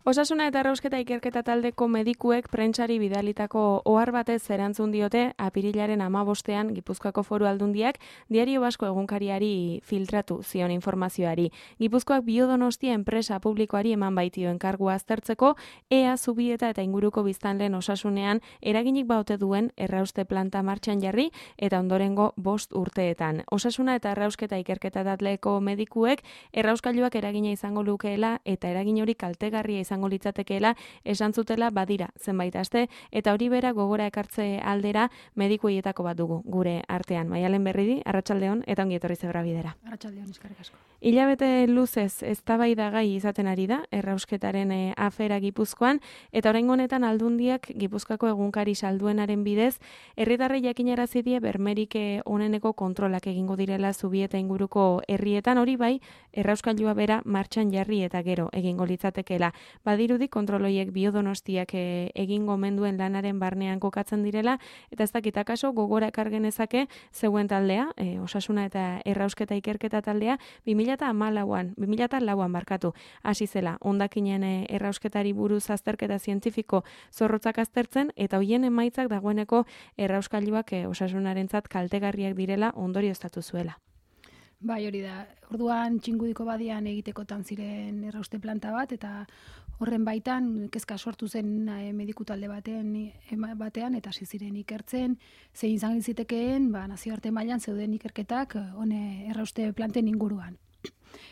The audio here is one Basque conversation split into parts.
Osasuna eta Errausketa ikerketa taldeko medikuek prentsari bidalitako ohar batez erantzun diote apirilaren 15ean Gipuzkoako Foru Aldundiak Diario Basko egunkariari filtratu zion informazioari. Gipuzkoak Biodonostia enpresa publikoari eman baitio enkargua aztertzeko ea Zubieta eta inguruko biztanleen osasunean eraginik baote duen errauste planta martxan jarri eta ondorengo 5 urteetan. Osasuna eta Errausketa ikerketa taldeko medikuek errauskailuak eragina izango lukeela eta eragin hori kaltegarria izango litzatekeela esan zutela badira zenbait aste eta hori bera gogora ekartze aldera medikuietako bat dugu gure artean. Maialen Berridi, arratsaldeon eta ongi etorri Zebra Bidera. Arratsaldeon, eskerrik asko. Hilabete luzez eztabaidagai izaten ari da errausketaren afera Gipuzkoan eta oraingo honetan Aldundiak Gipuzkoako egunkari salduenaren bidez herritarrei jakinarazi die bermerik oneneko kontrolak egingo direla Zubieta inguruko herrietan, hori bai errauskailua bera martxan jarri eta gero egingo litzatekeela. Badirudi kontroloiek Biodonostiak egingo menduen lanaren barnean kokatzen direla eta ez dakit akaso gogora ekar genezake zeuen taldea, Osasuna eta Errausketa ikerketa taldea 2004an markatu hasi zela hondakinen errausketari buruz azterketa zientifiko zorrotzak aztertzen eta hoien emaitzak dagoeneko errauskailuak Osasunarentzat kaltegarriak direla ondorioztatu zuela. Bai, hori da. Orduan Txingudiko badian egitekotan ziren errauste planta bat eta horren baitan kezka sortu zen mediku talde batean eta hasi ziren ikertzen zein izan zitekeen nazioarte mailan zeuden ikerketak errauste planten inguruan.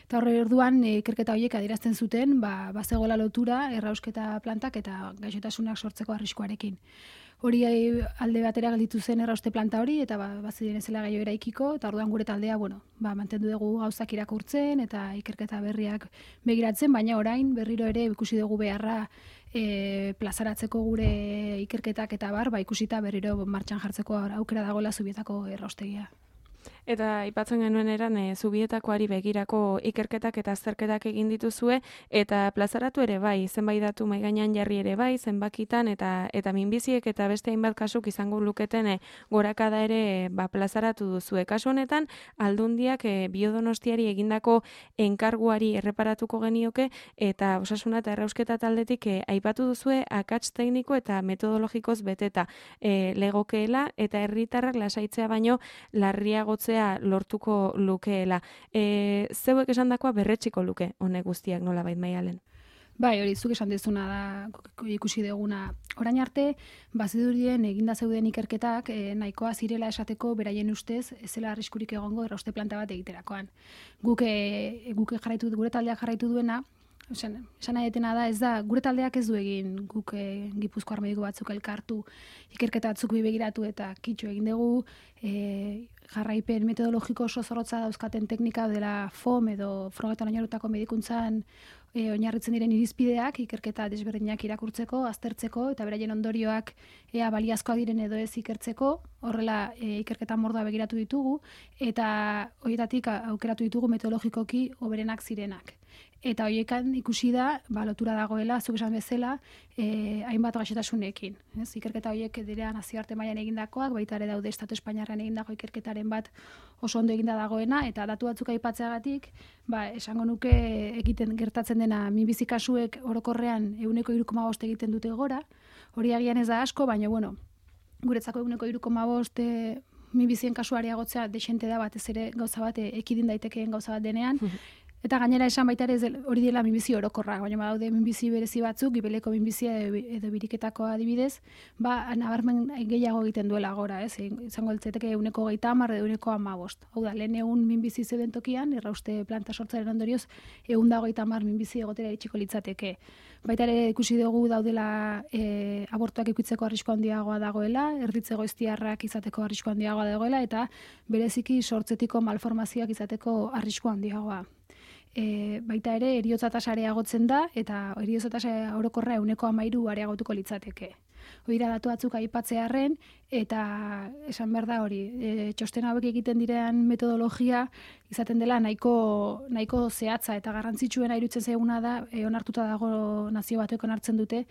Eta horre orduan ikerketa horiek adierazten zuten bazegoela lotura errausketa plantak eta gaixotasunak sortzeko arriskuarekin. Hori alde batera gelditu zen errauste planta hori eta baziren ezela gaio eraikiko eta orduan gure taldea mantendu dugu gauzak irakurtzen eta ikerketa berriak begiratzen, baina orain berriro ere ikusi dugu beharra plazaratzeko gure ikerketak eta ikusita berriro martxan jartzeko aukera dagoela Zubietako erraustegia. Eta aipatzen genuen eran Zubietakoari begirako ikerketak eta azterketak egin dituzue eta plazaratu ere bai, zenbait datu mahai gainean jarri ere bai, zenbakitan eta minbiziek eta beste hainbat kasuk izango luketen gorakada ere plazaratu duzue. Kasu honetan Aldundiak Biodonostiari egindako enkarguari erreparatuko genioke eta Osasuna eta Errausketa taldetik aipatu duzue akats tekniko eta metodologikoz beteta legokeela eta herritarrak lasaitzea baino larriagotzea lortuko lukeela. Zeuek esandakoa berretxiko luke honek guztiak nolabait Maialen? Bai, hori zuk esan dezuna da ikusi duguna. Orain arte, bazidurien eginda zeuden ikerketak nahikoa zirela esateko beraien ustez ez zela arriskurik egongo errauste planta bat egiterakoan. Gure taldeak jarraitu duena, esan nahi etena da, ez da, gure taldeak ez du egin guk Gipuzkoar mediku batzuk elkartu, ikerketa batzuk begiratu eta kitxo egin dugu, jarraipen metodologiko oso zorrotza dauzkaten teknika dela FOM edo frogetan oinarritutako medikuntzan oinarritzen diren irizpideak, ikerketa desberdinak irakurtzeko, aztertzeko eta beraien ondorioak ea baliazkoak diren edo ez ikertzeko, horrela ikerketa mordoa begiratu ditugu eta horietatik aukeratu ditugu metodologikoki hoberenak zirenak. Eta horiekan ikusi da, lotura dagoela, zuk esan bezala, hainbat gaixotasunekin. Ikerketa horiek dira nazioarte mailan egindakoak, baita ere daude Estatu Espainiarrean egindako ikerketaren bat oso ondo eginda dagoena, eta datu batzuk aipatzeagatik, esango nuke egiten gertatzen dena minbizi kasuek orokorrean 3,5 egiten dute gora, hori agian ez da asko, baina guretzako 3,5 minbizien kasuari agotzea desente da batez ere gauza bat ekidin daitekeen gauza bat denean, eta gainera esan baita ere hori dela minbizi orokorra, baina badaude minbizi berezi batzuk, gibeleko minbizia edo biriketako adibidez, nabarmen gehiago egiten duela gora, izango litzateke 1,30 edo 1,15. Hau da, lehen egun minbizi zeuden tokian, errauste planta sortzaren ondorioz, 130 minbizi egotera itxiko litzateke. Baita ere ikusi dugu daudela abortuak ikutzeko arrisku handiagoa dagoela, erditze goiztiarrak izateko arrisku handiagoa dagoela, eta bereziki sortzetiko malformazioak izateko arrisku handiagoa. Baita ere, eriotza tasa areagotzen da, eta eriotza tasa orokorra 13 areagotuko litzateke. Hori da datu batzuk aipatzearren, eta esan behar da hori, txosten hauek egiten diren metodologia izaten dela nahiko zehatza eta garrantzitsuena iruditzen zaiguna da, onartuta dago nazio batek onartzen dute,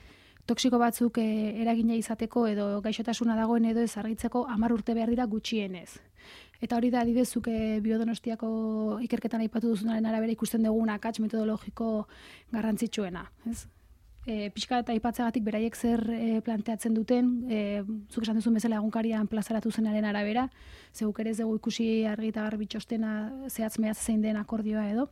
toxiko batzuk eragina izateko edo gaixotasuna dagoen edo ez argitzeko 10 urte behar dira gutxienez. Eta hori da adibidezuk Biodonostiako ikerketan aipatu duzunaren arabera ikusten dugun akats metodologiko garrantzitsuena, ez? pixka eta aipatzeagatik beraiek zer planteatzen duten, zuk esan duzun bezala egunkarian plazaratu zenaren arabera, zeuk ere ez dugu ikusi argi eta garbi txostena zehatz mehatz zein den akordioa edo.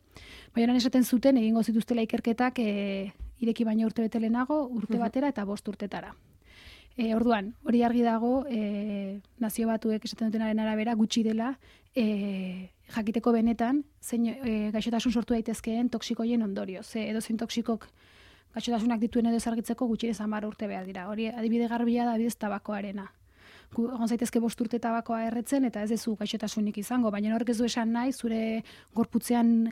Baina esaten zuten egingo zituztela ikerketak ireki baino urte bete lehenago, urte batera eta 5 urtetara. Orduan, hori argi dago, Nazio Batuek esaten dutenaren arabera gutxi dela, jakiteko benetan, zein gaixotasun sortu daitezkeen toksikoien ondorio. Edo zein toksikok gaixotasunak dituen edo ezargitzeko gutxinez 10 urte behar dira. Hori adibide garbia da adibidez tabakoarena. Egon zaitezke 5 urte tabakoa erretzen eta ez dezu gaixotasunik izango, baina horrek ez du esan nahi zure gorputzean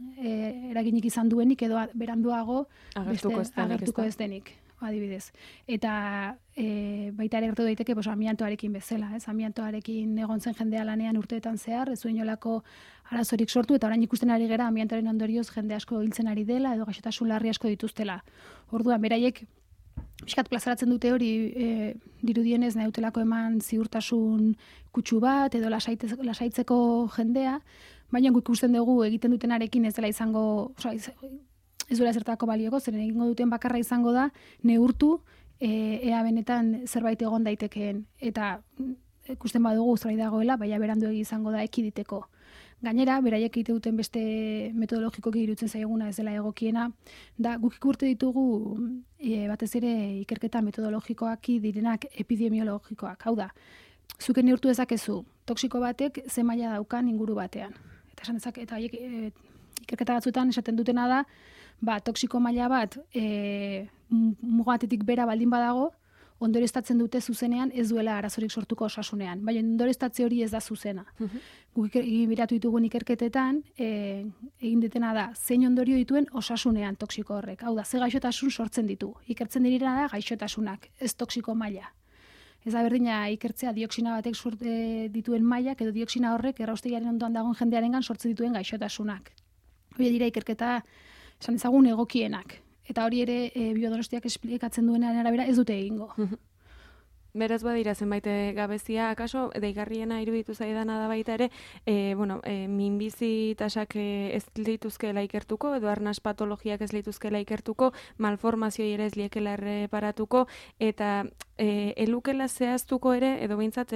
eraginik izan duenik edo beranduago agertuko ez denik. Adibidez. Eta baita ere gertu daiteke amiantoarekin bezala, ez? Amiantoarekin egon zen jendea lanean urteetan zehar, ez zuen inolako arazorik sortu, eta orain ikusten ari gera amiantoaren ondorioz jende asko hiltzen ari dela, edo gaixotasun larri asko dituztela. Orduan, beraiek pixkat plazaratzen dute hori dirudienez nahi dutelako eman ziurtasun kutsu bat, edo lasaitzeko jendea, baina ikusten dugu egiten dutenarekin ez dela izango, ez duela zertako balioko, zeren egingo duten bakarra izango da, neurtu ea benetan zerbait egon daitekeen. Eta ikusten badugu zerbait dagoela, baina berandu izango da ekiditeko. Gainera, beraiek egite duten beste metodologikoki irutzen zaiguna ez dela egokiena, da guk ikurte ditugu batez ere ikerketa metodologikoak direnak epidemiologikoak. Hau da, zuken neurtu dezakezu, toksiko batek ze maila daukan inguru batean. Eta esan dezak, eta ikerketa batzuetan esaten dutena da, toksiko maila bat mugatetik bera baldin badago, ondorioztatzen dute zuzenean ez duela arazorik sortuko osasunean. Baina ondorioztatze hori ez da zuzena. Guk biratu ditugun ikerketetan, egin dutena da, zein ondorio dituen osasunean toksiko horrek. Hau da, ze gaixotasun sortzen ditu. Ikertzen direna da gaixotasunak, ez toksiko maila. Ez da berdina ikertzea dioksina batek dituen mailak edo dioksina horrek erraustegiaren ondoan dagoen jendearengan sortzen dituen gaixotasunak. Hori dira ikerketa esan ezagun egokienak. Eta hori ere Biodonostiak esplikatzen duenaren arabera ez dute egingo. Beraz badira zenbait gabezia, akaso deigarriena iruditu zaidana da baita ere, minbizi tasak ez lituzkela ikertuko, edo arnas patologiak ez lituzkela ikertuko, malformazioi ere ez liekela erreparatuko, eta elukela zehaztuko ere, edo behintzat,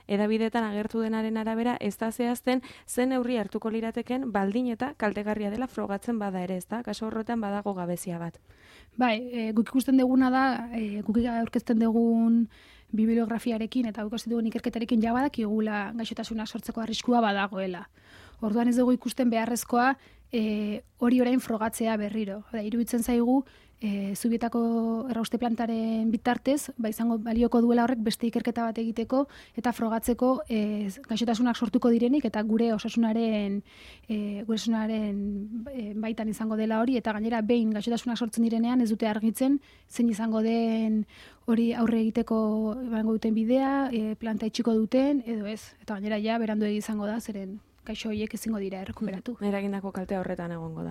edabidetan agertu denaren arabera, ez da zehazten zen neurri hartuko lirateken baldin eta kaltegarria dela frogatzen bada ere, ez da? Kaso horretan badago gabezia bat. Bai, guk ikusten duguna da, guk aurkezten dugun bibliografiarekin eta guk ikusten dugun ikerketarekin jabadak igula gaixotasunak sortzeko arriskua badagoela. Orduan ez dugu ikusten beharrezkoa hori orain frogatzea berriro. Iruditzen zaigu, Zubietako errauste plantaren bitartez, izango balioko duela horrek beste ikerketa bat egiteko eta frogatzeko gaixotasunak sortuko direnik eta gure osasunaren baitan izango dela hori, eta gainera behin gaixotasunak sortzen direnean ez dute argitzen zein izango den hori aurre egiteko emango duten bidea, planta itxiko duten edo ez. Eta gainera ja berandu izango da zeren gaixo horiek ezingo dira errekuperatu. Eragindako kalte horretan egongo da.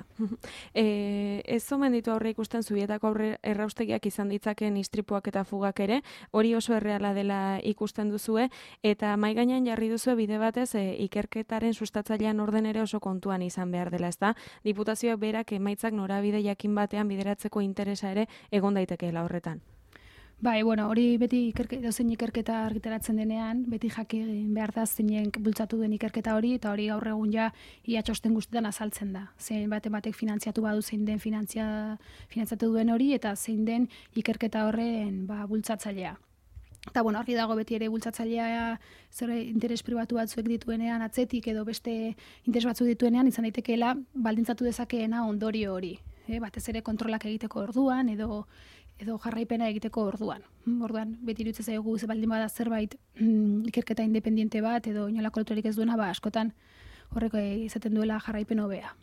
Ez omen ditu aurre ikusten Zubietako erraustegiak izan ditzaken istripuak eta fugak ere, hori oso erreala dela ikusten duzue, eta mahai gainean jarri duzue bide batez ikerketaren sustatzailean orden ere oso kontuan izan behar dela, ezta? Diputazioak berak emaitzak norabide jakin batean bideratzeko interesa ere egon daitekeela horretan. Bai, hori beti dozein ikerketa argitaratzen denean, beti jakin behar da zeinen bultzatu den ikerketa hori, eta hori gaur egun ja ia txosten guztietan azaltzen da. Zein batek finantziatu badu zein den finantziatu duen hori, eta zein den ikerketa horren bultzatzailea. Eta argi dago beti ere bultzatzailea zer interes pribatu batzuek dituenean atzetik edo beste interes batzuk dituenean izan daitekeela baldintzatu dezakeena ondorio hori. Batez ere kontrolak egiteko orduan edo jarraipena egiteko orduan. Orduan, beti iruditzen zaigu ze baldin bada zerbait ikerketa independiente bat edo inolako loturik ez duena, askotan horreko izaten duela jarraipen hobea.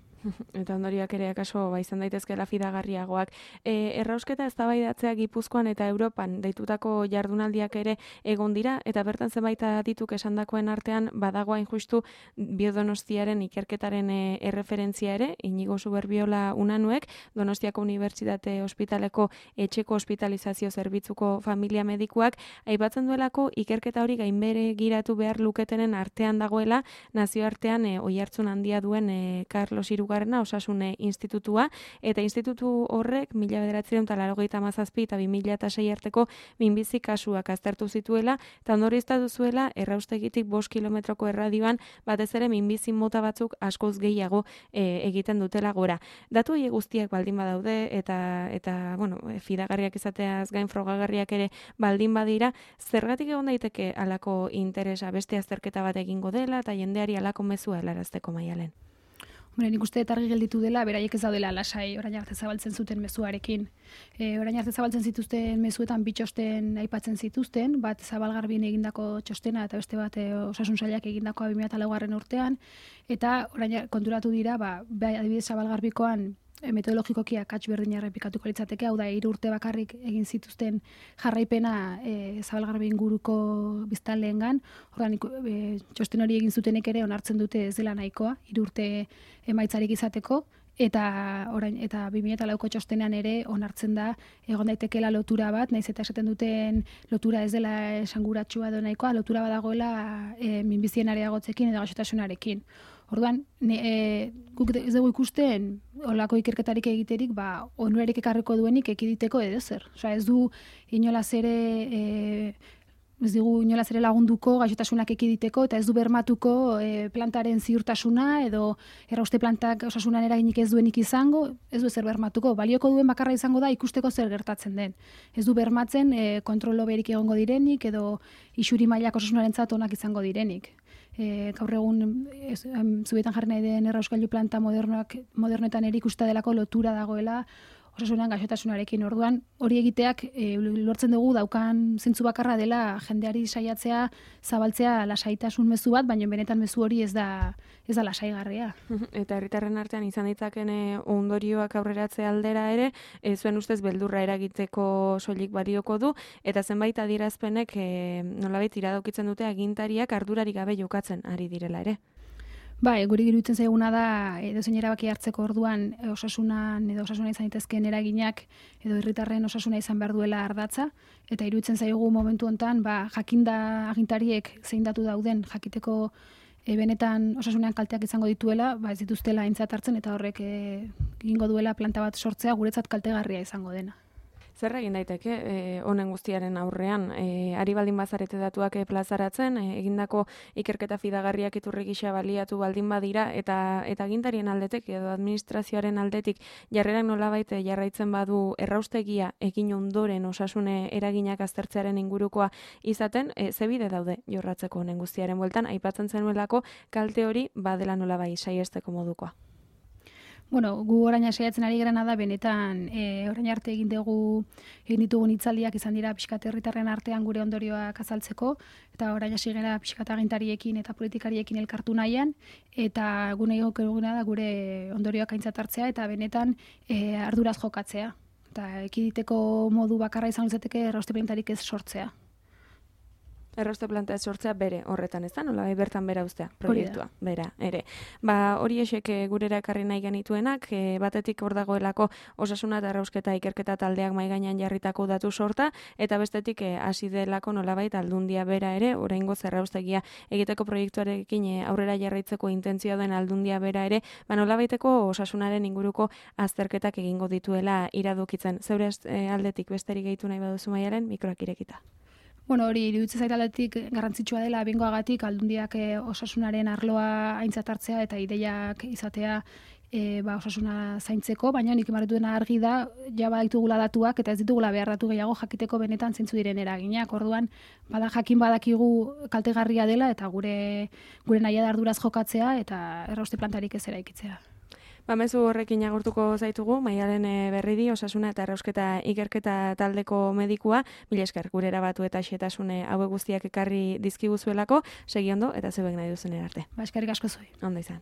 Eta ondoriak ere akaso izan daitezkeela fidagarriagoak. Errausketa eztabaidatzea Gipuzkoan eta Europan deitutako jardunaldiak ere egon dira, eta bertan zenbait adituk esandakoen artean badago hain justu Biodonostiaren ikerketaren erreferentzia ere, Inigo Suberbiola Unanuek, Donostiako Unibertsitate Ospitaleko etxeko hospitalizazio zerbitzuko familia medikuak, aipatzen duelako ikerketa hori gainbere giratu behar luketenen artean dagoela, nazioartean oihartzun handia duen Carlos Hirugarren hirugarrena Osasune Institutua, eta institutu horrek 1987 eta 2006 arteko minbizi kasuak aztertu zituela, eta ondorioztatu zuela erraustegitik 5 kilometroko erradioan batez ere minbizi mota batzuk askoz gehiago egiten dutela gora. Datu horiek guztiak baldin badaude eta bueno, fidagarriak izateaz gain frogagarriak ere baldin badira, zergatik egon daiteke halako interesa beste azterketa bat egingo dela eta jendeari halako mezua helarazteko, Maialen? Hombre, nik uste argi gelditu dela, beraiek ez daudela lasai orain arte zabaltzen zuten mezuarekin. Orain arte zabaltzen zituzten mezuetan bi txosten aipatzen zituzten, bat Zabalgarbin egindako txostena eta beste bat Osasun Sailak egindakoa 2004 urtean, eta orain konturatu dira, adibidez Zabalgarbikoan metodologikoki akats berdina errepikatuko litzateke, hau da 3 urte bakarrik egin zituzten jarraipena Zabalgarbi inguruko biztanleengan. Orduan txosten hori egin zutenek ere onartzen dute ez dela nahikoa 3 urte emaitzarik izateko, eta 2004ko txostenean ere onartzen da egon daitekeela lotura bat, naiz eta esaten duten lotura ez dela esanguratsua edo nahikoa, lotura badagoela minbizien areagotzekin edo gaixotasunarekin. Orduan, guk ez dugu ikusten olako ikerketarik egiterik, onurarik ekarriko duenik ekiditeko edo zer. Osea, ez du inolaz ere lagunduko gaixotasunak ekiditeko, eta ez du bermatuko plantaren ziurtasuna edo errauste plantak osasunan eraginik ez duenik izango, ez du ezer bermatuko. Balioko duen bakarra izango da ikusteko zer gertatzen den. Ez du bermatzen kontrolo berik egongo direnik edo isuri mailak osasunarentzat onak izango direnik. Gaur egun zubietan jarri nahi den errauskailu planta modernoetan ere ikusta delako lotura dagoela osasunan gaixotasunarekin. Orduan, hori egiteak lortzen dugu daukan zentzu bakarra dela jendeari saiatzea zabaltzea lasaitasun mezu bat, baina benetan mezu hori ez da lasaigarria. Eta herritarren artean izan ditzaken ondorioak aurreratzea aldera ere, zuen ustez beldurra eragiteko soilik balioko du, eta zenbait adierazpenek nolabait iradokitzen dute agintariak ardurarik gabe jokatzen ari direla ere. Guri iruditzen zaiguna da edozein erabaki hartzeko orduan osasuna izan daitezkeen eraginak edo herritarren osasuna izan behar duela ardatza, eta iruditzen zaigu momentu hontan jakinda agintariek zein datu dauden jakiteko benetan osasunean kalteak izango dituela, ez dituztela aintzat hartzen, eta horrek egingo duela planta bat sortzea guretzat kaltegarria izango dena. Zer egin daiteke honen guztiaren aurrean? Ari baldin bazarete datuak plazaratzen, egindako ikerketa fidagarriak iturri gisa baliatu baldin badira, eta agintarien aldetik edo administrazioaren aldetik jarrerak nolabait jarraitzen badu erraustegia egin ondoren osasune eraginak aztertzearen ingurukoa izaten, ze bide daude jorratzeko honen guztiaren bueltan, aipatzen zenuelako kalte hori badela nolabait saiesteko modukoa. Gu orain saiatzen ari garena da benetan orain arte egin ditugun hitzaldiak izan dira pixkat herritarren artean gure ondorioak azaltzeko, eta orain hasi gara pixkat agintariekin eta politikariekin elkartu nahian, eta gune egokena da gure ondorioak aintzat hartzea eta benetan arduraz jokatzea. Eta ekiditeko modu bakarra izan litzateke errauste plantarik ez sortzea. Errauste planta sortzea bere horretan, ez da? Nola bertan bera uztea proiektua, bera, ere. Hori esek gurera ekarri nahi genituenak, batetik hor dagoelako osasuna eta errausketa ikerketa taldeak mahai gainean jarritako datu sorta, eta bestetik hasi delako nolabait aldundia bera ere, oraingoz erraustegia egiteko proiektuarekin aurrera jarraitzeko intentzioa duen aldundia bera ere, nolabaiteko osasunaren inguruko azterketak egingo dituela iradokitzen. Zeure aldetik besterik gehitu nahi baduzu, Maialen, mikroak irekita. Hori iruditzen zait aldetik garrantzitsua dela bengoagatik aldundiak osasunaren arloa aintzat hartzea eta ideiak izatea osasuna zaintzeko, baina nik emaretu dena argi da, ja baditugula datuak eta ez ditugula behar datu gehiago jakiteko benetan zeintzu diren eraginak. Orduan, jakin badakigu kaltegarria dela eta gure nahia da arduraz jokatzea eta errauste plantarik ez eraikitzea. Mezu horrekin agurtuko zaitugu, Maialen Berridi, osasuna eta errausketa ikerketa taldeko medikua, mila esker gure erabatu eta xetasune hauek guztiak ekarri dizkiguzuelako, segi ondo eta zeuek nahi duzen arte. Eskerrik asko zuei. Ondo izan.